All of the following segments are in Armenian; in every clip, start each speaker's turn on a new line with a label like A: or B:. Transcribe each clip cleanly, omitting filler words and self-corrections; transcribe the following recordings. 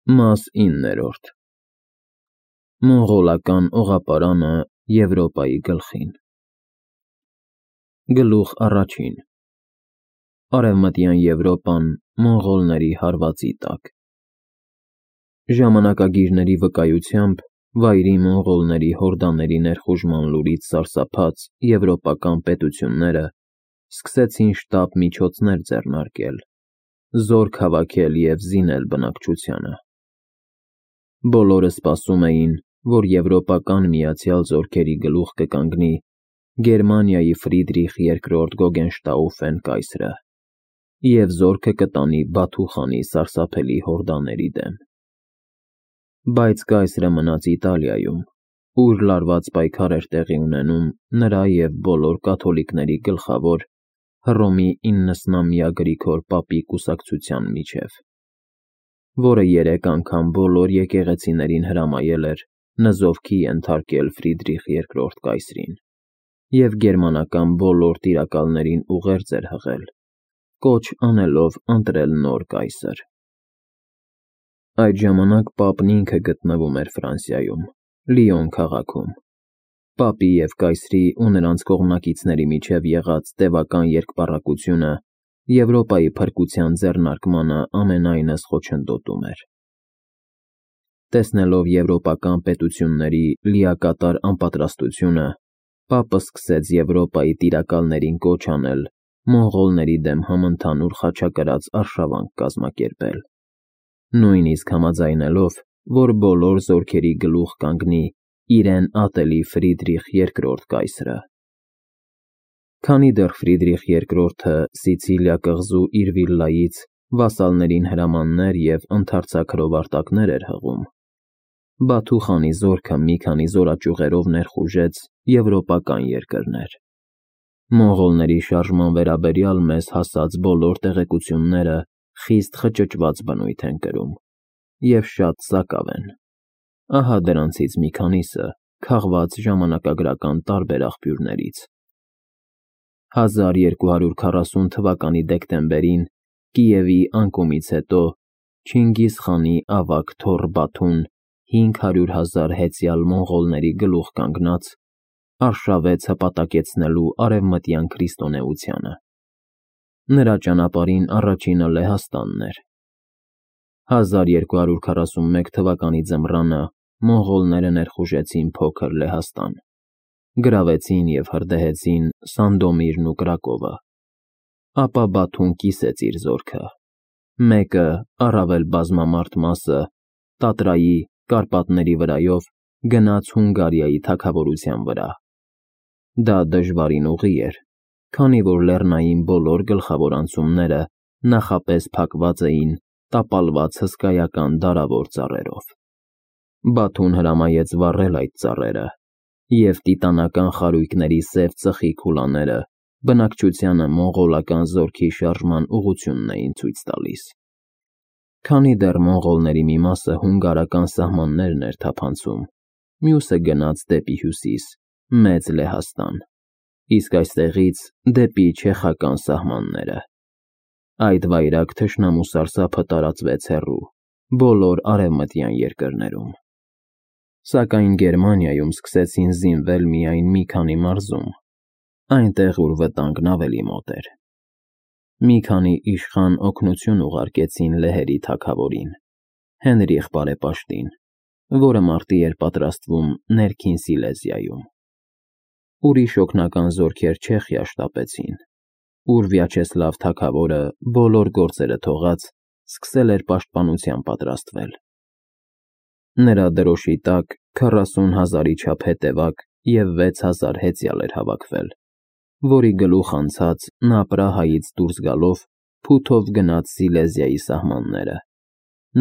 A: Մաս 9. Մոնղոլական օղապարանը Եվրոպայի գլխին։ Գլուխ առաջին. Արևմտյան Եվրոպան մոնղոլների հարվածի տակ։ Ժամանակագիրների վկայությամբ վայրի մոնղոլների հորդաների ներխուժման լուրից սարսափած եվրոպական պետությունները սկսեցին շտապ միջոցներ ձեռնարկել, զորք հավաքել և զինել բնակչությանը։ Բոլորը սպասում էին, որ եվրոպական միացյալ զորքերի գլուխ կկանգնի Գերմանիայի Ֆրիդրիխ II Գոգենշտաուֆեն կայսրը և զորքը կտանի Բաթու խանի սարսափելի հորդաների դեմ։ Բայց կայսրը մնաց Իտալիայում, ուր լարված պայքար էր տեղի ունենում նրա և բոլոր կաթոլիկների գլխավոր Հռոմի 90-ամյա Գրիգոր պապի կուսակցության միջև, որը 3 անգամ բոլոր եկեղեցիներին հրամայել էր նզովքի ենթարկել Ֆրիդրիխ II կայսրին և գերմանական բոլոր տիրակալներին ուղերձ էր հղել, կոչ անելով ընտրել նոր կայսր։ Այդ ժամանակ պապն ինքը գտնվում էր Ֆրանսիայում, Լիոն քաղաքում։ Պապի և կայսրի ու նրանց կողմնակիցների միջև եղած տևական երկպառակությունը Եվրոպայի փրկության ձեռնարկմանը ամենայնս խոչընդոտում էր։ Տեսնելով եվրոպական պետությունների լիակատար անպատրաստությունը, պապը սկսեց Եվրոպայի տիրակալներին կոչ անել մոնղոլների դեմ համընդհանուր խաչակրաց արշավանք կազմակերպել, նույնիսկ համաձայնելով, որ բոլոր զորքերի գլուխ կանգնի իրեն ատելի Ֆրիդրիխ II կայսրը։ Քանի դեռ Ֆրիդրիխ II-ը Սիցիլիա կղզու իր վիլլայից վասալներին հրամաններ և ընդարձակ հրովարտակներ էր հղում, Բաթու խանի զորքը մի քանի զորաճյուղերով ներխուժեց եվրոպական երկրներ։ Մոնղոլների շարժման վերաբերյալ մեզ հասած բոլոր տեղեկությունները խիստ խճճված բնույթ են կրում և շատ սակավ են։ Ահա դրանցից մի քանիսը քաղված ժամանակագրական տարբեր աղբյուրներից։ 1240 թվականի դեկտեմբերին Կիևի անկումից հետո Չինգիզ խանի ավագ թոռ Բաթուն 500,000 հեծյալ մոնղոլների գլուխ կանգնած արշավեց հպատակեցնելու արևմտյան քրիստոնեությանը։ Նրա ճանապարհին առաջինը Լեհաստանն էր։ 1241 թվականի ձմռանը մոնղոլները ներխուժեցին փոքր Լեհաստան, գրավեցին և հրդեհեցին Սանդոմիրն ու Կրակովը։ Ապա Բաթուն կիսեց իր զորքը, մեկը, առավել բազմամարդ մասը, Տատրայի, Կարպատների վրայով գնաց Հունգարիայի թագավորության վրա։ Դա դժվարին ուղի էր, քանի որ լեռնային բոլոր գլխավոր անցումները նախապես փակված էին տապալված հսկայական դարավոր ծառերով։ Բաթուն հրամայեց վառել այդ ծառերը, և տիտանական խարույկների սև ծխի քուլաները բնակչությանը մոնղոլական զորքի շարժման ուղղությունն էին ցույց տալիս։ Քանի դեռ մոնղոլների մի մասը հունգարական սահմաններն էր թափանցում, մյուսը գնաց դեպի հյուսիս, Մեծ Լեհաստան, իսկ այստեղից դեպի չեխական սահմանները։ Այդ վայրագ թշնամու սարսափը տարածվեց հեռու, բոլոր արևմտյան երկրներում։ Սակայն Գերմանիայում սկսեցին զինվել միայն մի քանի մարզում, այնտեղ, ուր վտանգն ավելի մոտ էր։ Մի քանի իշխան օգնություն ուղարկեցին լեհերի թագավորին, Հենրիխ Բարեպաշտին, որը մարտի էր պատրաստվում Ներքին Սիլեզիայում։ Ուրիշ օգնական զորքեր Չեխիա շտապեցին, ուր Վյաչեսլավ թագավորը բոլոր գործերը թողած սկսել էր պաշտպանության պատրաստվել։ Նրա դրոշի տակ 40,000-ի չափ հետևակ և 6,000 հեծյալ էր հավաքվել, որի գլուխ անցած նա Պրահայից դուրս գալով փութով գնաց Սիլեզիայի սահմանները,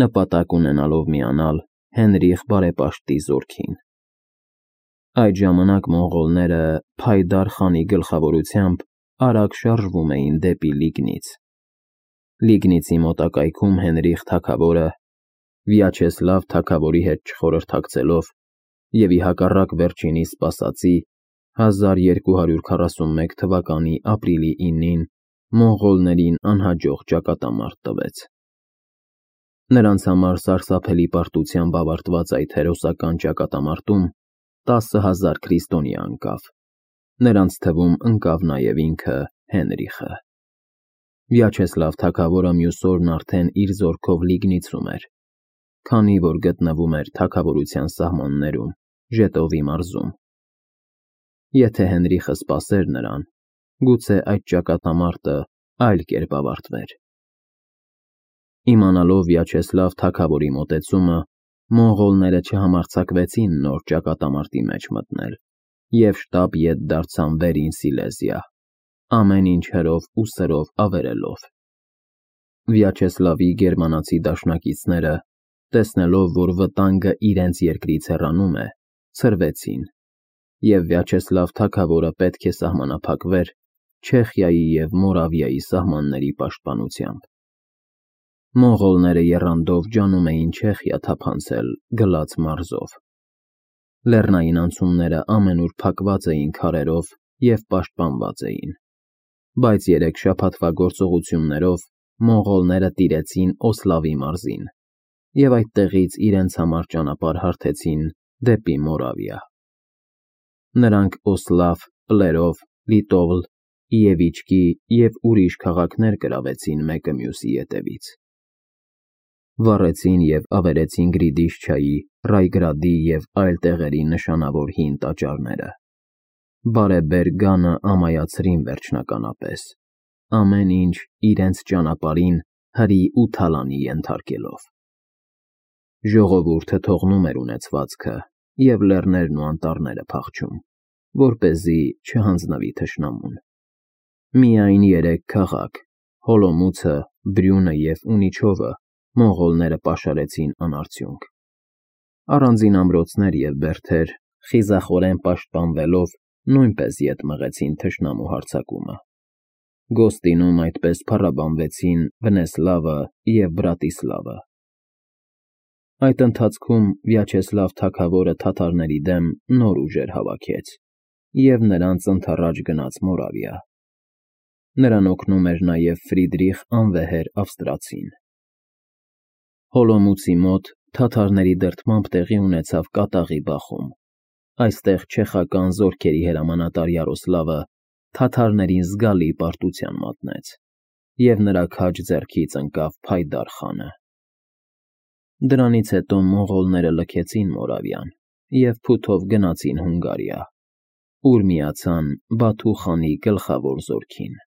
A: նպատակ ունենալով միանալ Հենրիխ Բարեպաշտի զորքին։ Այդ ժամանակ մոնղոլները Փայդար խանի գլխավորությամբ արագ շարժվում էին դեպի Լիգնից։ Լիգնիցի մոտակայքում Հենրիխ թագավորը, Վյաչեսլավ թագավորի հետ չխորհրդակցելով և ի հակառակ վերջինիս սպասածի, 1241 թվականի ապրիլի 9-ին մոնղոլներին անհաջող ճակատամարտ տվեց։ Նրանց համար սարսափելի պարտությամբ ավարտված այդ հերոսական ճակատամարտում 10,000 քրիստոնյա ընկավ։ Նրանց թվում ընկավ նաև ինքը Հենրիխը։ Վյաչեսլավ թագավորը մյուս օրն արդեն իր զորքով Լիգնիցում էր, քանի որ գտնվում էր թագավորության սահմաններում, Ժետովի մարզում։ Եթե Հենրիխը սպասեր նրան, գուցե այդ ճակատամարտը այլ կերպ ավարտվեր։ Իմանալով Վյաչեսլավ թագավորի մոտեցումը, մոնղոլները չհամարձակվեցին նոր ճակատամարտի մեջ մտնել և շտապ ետ դարձան Վերին Սիլեզիա, ամեն ինչ հրով ու սրով ավերելով։ Վյաչեսլավի գերմանացի դաշնակիցները, տեսնելով, որ վտանգը իրենց երկրից հեռանում է, ցրվեցին, և Վյաչեսլավ թագավորը պետք է սահմանափակվեր Չեխիայի և Մորավիայի սահմանների պաշտպանությամբ։ Մոնղոլները եռանդով ջանում էին Չեխիա թափանցել Գլաց մարզով։ Լեռնային անցումները ամենուր փակված էին քարերով և պաշտպանված էին, բայց 3 շաբաթվա գործողություններով մոնղոլները տիրեցին Օսլավի մարզին և այդտեղից իրենց համար ճանապարհ հարթեցին դեպի Մորավիա։ Նրանք Օսլավ, Պլերով, Լիտովլ, Իևիչկի և ուրիշ քաղաքներ գրավեցին մեկը մյուսի ետևից։ Վառեցին և ավերեցին Գրիդիշչայի, Ռայգրադի և այլ տեղերի նշանավոր հին տաճարները։ Բարեբեր գանը ամայացրին վերջնականապես, ամեն ինչ իրենց ճանապարհին հրի ու թալանի ենթարկելով։ Ժողովուրդը թողնում էր ունեցվածքը և լեռներն ու անտառները փախչում, որպեսզի չհանձնվի թշնամուն։ Միայն 3 քաղաք՝ Հոլոմուցը, Բրյունը և Ունիչովը մոնղոլները պաշարեցին անարդյունք։ Առանձին ամրոցներ և բերդեր, խիզախորեն պաշտպանվելով, նույնպես ետ մղեցին թշնամու հարձակումը։ Գոստինում այդպես փառաբանվեցին Վնեսլավը և Բրատիսլավը։ Այդ ընթացքում Վյաչեսլավ թագավորը թաթարների դեմ նոր ուժեր հավաքեց և նրանց ընդառաջ գնաց Մորավիա։ Նրան օգնում էր նաև Ֆրիդրիխ անվեհեր ավստրացին։ Հոլոմուցի մոտ թաթարների դրդմամբ տեղի ունեցավ կատաղի բախում։ Այստեղ չեխական զորքերի հրամանատար Յարոսլավը թաթարներին զգալի պարտության մատնեց, և նրա քաջ ձեռքից ընկավ Փայդար խանը։ Դրանից հետո մոնղոլները լքեցին Մորավիան և փութով գնացին Հունգարիա, ուր միացան Բաթու խանի գլխավոր զորքին։